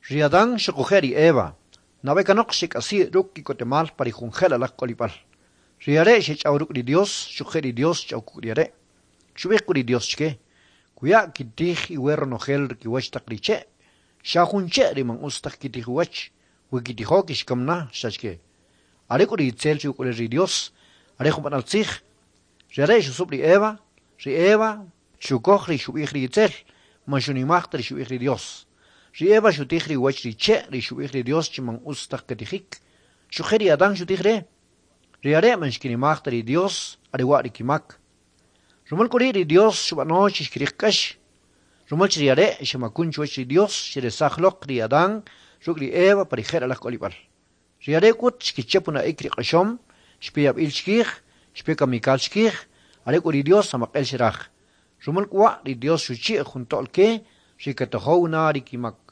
Ri Adán xuquje' ri Eva, nab'e kanoq xek'asi' ruk' ki'kotemal pa ri jun je'lalaj k'olib'al. Ri are' xech'aw ruk' ri Dios, xuquje' ri Dios xch'aw kuk' ri are'. Xub'ij k'u ri Dios chke, Kuya' kitij iwe ronojel ri kiwach taq ri che', xa jun che' ri man utz taj kitij uwach, we kitijo kixkam na, xcha chke. Are k'u ri Itzel ri uk'ulel ri Dios, are jun b'anal tzij. Ri are' xusub' ri Eva, ri Eva xukoj ri xub'ij ri Itzel, man xunimaj ta ri xub'ij ri Dios. Ri Eva xutij ri uwach ri che' ri xub'ij ri Dios chi man utz taj ketijik, xuquje' ri Adán xutij re. Ri are' man xkinimaj ta ri Dios, are wa' ri kimak. Rumal k'u ri' ri Dios xub'ano chi xkiriq k'ax. Rumal chi ri are' xemakun chuwach ri Dios, xeresaj loq ri Adán ruk' ri Eva pa ri je'lalaj k'olib'al. Ri are' k'ut xkichap una'ik ri q'oxom, xpe yab'il chkij, xpe kamikal chkij, are k'u ri Dios amaq'el xeraj. Rumal k'u wa' ri Dios xuchi'j jun to'l ke ri katojow na ri kimak.